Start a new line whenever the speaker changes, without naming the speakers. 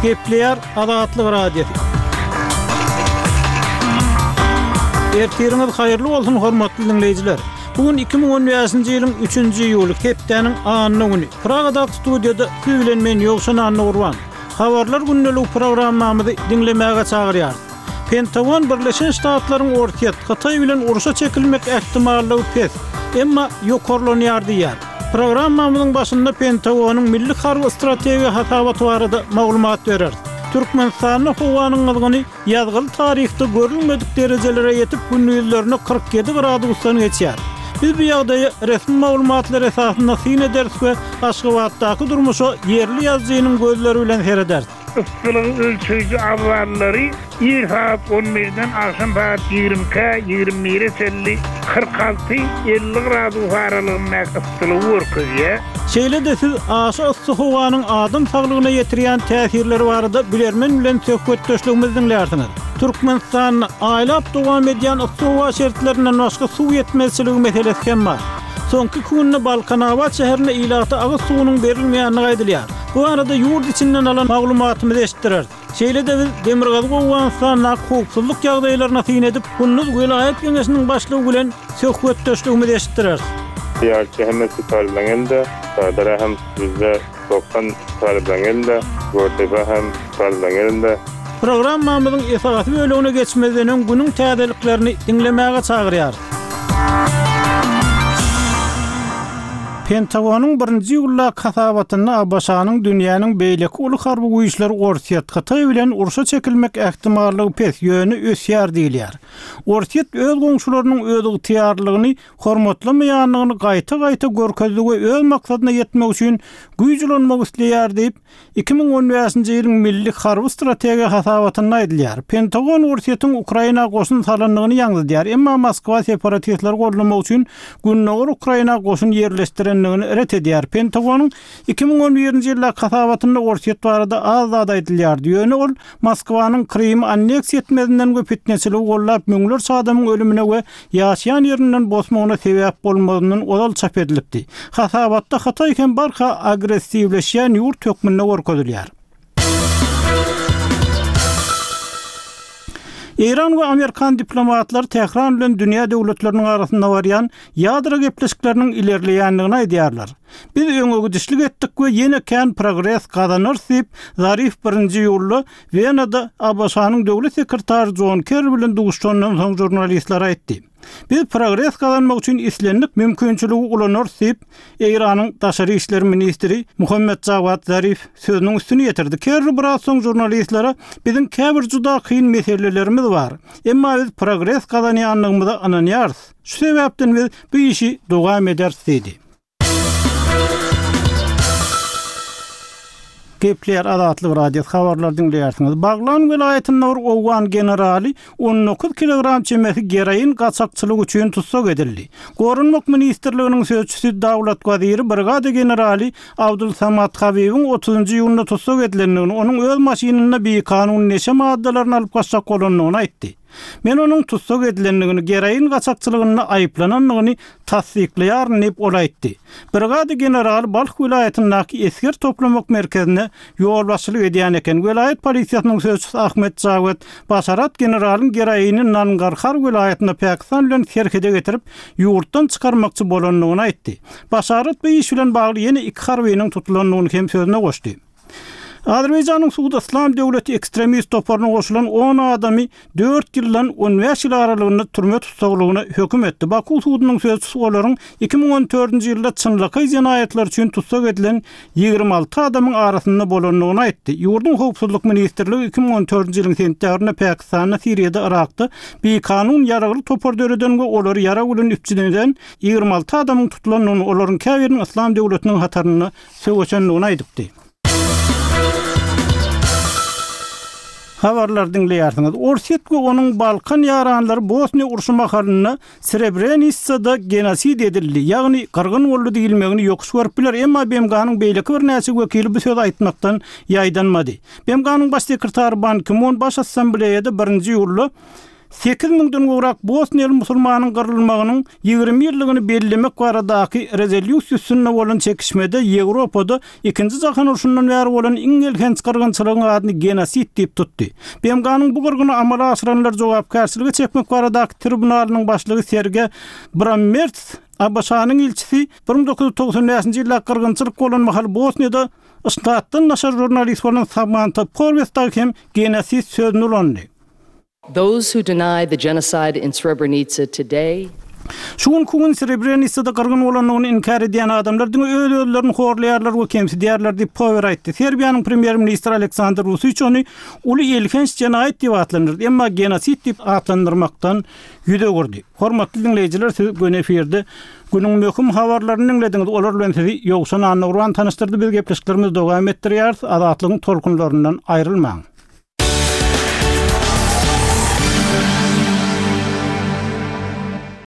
Gepleýär Azatlyk Radiosy. Ertiriňiz haýyrly bolsun, hormatly diňleýjiler! Bu gün 2015-nji ýylyň üçünji iýuly, hepdäniň anna güni. Pragadaky studiýada siz bilen men Ýowşan Annagurban. Habarlar gündeligi programmamyzy diňlemäge çagyrýarys. Pentagon Birleşen Ştatlaryň Orsýet, Hytaý bilen urşa çekilmek ähtimallygy pes, emma ýokarlanýar diýýär. Programmamyzyň başynda Pentagonyň milli harby strategiýa hasabaty barada maglumat bereris. Türkmenistanda howanyň gyzgyny ýazgyly taryhda görülmedik derejelere ýetip, gündizlerine 47 gradusdan geçýär. Biz bu ýagdaýa resmi maglumatlar esasynda syn ederis we Aşgabatdaky durmuşa ýerli ýazyjynyň gözleri bilen serederis.
Yssylygy ölçeýji abzallary ir sagat on birden agşam sagat ýigrimi ikä, ýigrimi bire çenli 46, 50 gradus aralygyndaky yssylygy görkezýär.
Şeýle-de siz aşa yssy howanyň adam saglygyna ýetirýän täsirleri barada bilermen bilen söhbetdeşligimizi diňlärsiňiz. Türkmenistanda aýlap dowam edýän yssy howa şertlerinden başga suw ýetmezçiligi meselesi hem bar. Soňky iki günde Balkanabat şäherinde ilata agyz suwunyň berilmeýändigi aýdylýar. Bu barada ýurt içinden alan maglumatymyzy eşitdireris. Şeýle-de biz Demirgazyk Owganystandaky howpsuzlyk ýagdaýlaryna syn edip, Kunduz welaýat geňeşiniň başlygy bilen söhbetdeşligimizi eşitdireris.
Ýarçy hemmesi talyplaň elinde, Sadara hem 90% talyplaň elinde, Gökdepe hem talyplaň elinde.
Programmamyzyň esasy bölegine geçmezden öň günüň täzeliklerini diňlemäge çagyrýarys. Pentagonyň birinji iýuldaky hasabatynda ABŞ-nyň dünýäniň beýleki uly harby güýçleri Orsýet, Hytaý bilen urşa çekilmek ähtimallygy pes, ýöne ösýär diýilýär. Orsýet öz goňşularynyň özygtyýarlylygyny hormatlamaýandygyny gaýta-gaýta görkezdi we öz maksadyna ýetmek üçin güýç ulanmak isleýär diýip, 2015-nji ýylyň Milli harby strategiýa hasabatynda aýdylýar. Pentagon Orsýetiň Ukraina goşun salandygyny ýaňzydýar, emma Moskwa separatistleri goldamak üçin gündogar Ukraina goşun ýerleşdirendigini ret edýär. Pentagonyň 2011-nji ýyldaky hasabatynda Orsýet barada az zat aýdylýardy, ýöne ol Moskwanyň Krymy anneksiýa etmezinden we pitneçiligi goldap müňlerçe adamyň ölümine we ýaşaýan ýerinden bosmagyna sebäp bolmazyndan ozal çap edilipdi. Hasabatda Hytaý hem barha agressiwleşýän ýurt hökmünde görkezilýär. Eýran we amerikan diplomatlary Tähran bilen dünýä döwletleriniň arasynda barýan ýadro gepleşikleriniň ilerleýändigini aýdýarlar. Biz öňegidişlik etdik we ýene kän progres gazanarys diýip, Zarif birinji iýulda Wenada ABŞ-nyň döwlet sekretary Jon Kerri bilen duşuşandan soň žurnalistlere aýtdy. Biz progres gazanmak üçin islendik mümkinçiligi ulanarys diýip, Eýranyň daşary işler ministri Muhammet Jawad Zarif sözüniň üstüni ýetirdi. Kerri biraz soň žurnalistlere Biziň käbir juda kyn meselelerimiz bar. Emma biz progres gazanýandygymyza ynanýarys. Şu sebäpden biz bu işi dowam ederis diýdi. Gepleýär Azatlyk Radiosy habarlary diňleýärsiňiz. Baglan welaýatynda bir owgan generaly 19 kilogram çemesi geroin gaçakçylygy üçin tussag edildi. Goranmak ministrliginiň sözçüsi Dawlat Waziri brigada generaly Abdul Samad Habibiň otuzynjy iýunda tussag edilendigini, onuň öz maşynynda bikanun neşe maddalaryny alyp gaçjak bolandygyny aýtdy. Men onuň tussag edilendigini, geroin gaçakçylygynda aýyplanandygyny tassyklaýaryn diýip, ol aýtdy. Brigada generaly Balh welaýatyndaky esger toplamak merkezine ýolbaşçylyk edýän eken. Welaýat polisiýasynyň sözçüsi Ahmet Jawed Başarat generalyň geroini Nangarhar welaýatynda Pakistan bilen serhede getirip, ýurtdan çykarmakçy bolandygyny aýtdy. Başarat bu iş bilen bagly ýene iki harbynyň tutulandygyny hem sözüne goşdy. Azerbaýjanyň sudy Yslam döwleti ekstremist toparyna goşulan on adamy dört ýyldan on bäş ýyl aralygynda türme tussaglygyna höküm etdi. Baku sudunyň sözçüsi olaryň 2014-nji ýylda çynlakaý jenaýatlar üçin tussag edilen 26 adamyň arasynda bolandygyny aýtdy. Ýurduň Howpsuzlyk ministrligi 2014-nji ýylyň sentýabrynda Pakistanda, Siriýada, Yrakda bikanun ýaragly topar döreden we olary ýarag bilen üpjün eden 26 adamyň tutulandygyny, olaryň käbiriniň Yslam döwletiniň hatarynda söweşendigini aýdypdy. Habarlary diňleýärsiňiz. Orsýet we onuň Balkan ýaranlary Bosniýa urşy mahalynda Srebrenisada genosid edildi, ýagny gyrgyn boldy diýilmegini ýokuş görüp biler, emma BMG-niň beýleki birnäçe wekili bu sözi aýtmakdan ýaýdanmady. BMG-niň Baş sekretary Ban Ki-mun Baş Assambleýada birinji iýulda. Sekiz müňden gowrak bosniýaly musulmanyň gyrylmagynyň 20 ýyllygyny bellemek baradaky rezolýusiýa üstünde bolan çekişmede Ýewropada Ikinji jahan urşundan bäri bolan iň elhenç gyrgynçylygyň adyny genosid diýip tutdy. BMG-niň bu gyrgyny amala aşyranlary jogapkärçilige çekmek baradaky tribunalynyň başlygy Serge Brammertz, ABŞ-nyň ilçisi, 1995-nji ýyldaky gyrgynçylyk bolan mahaly Bosniýada ştatdan daşary žurnalist bolan Samanta Powers dagy hem genosid sözüni ulandy.
Those who deny the genocide in Srebrenica today.
Şu günki gün Srebrenisada gyrgyn bolandygyny inkär edýän adamlar diňe öz-özlerini horlaýarlar we kemsidýärler diýip, Power aýtdy. Serbiýanyň premýer-ministri Aleksandr Wuçiç ony uly elhenç jenaýat diýip atlandyrdy, emma genosid diýip atlandyrmakdan ýüz öwürdi. Hormatly diňleýjiler, siz göni efirde günüň möhüm habarlaryny diňlediňiz. Olar bilen sizi Ýowşan Annagurban tanyşdyrdy. Biz gepleşiklerimizi dowam etdirýäris. Azatlygyň tolkunlaryndan aýrylmaň.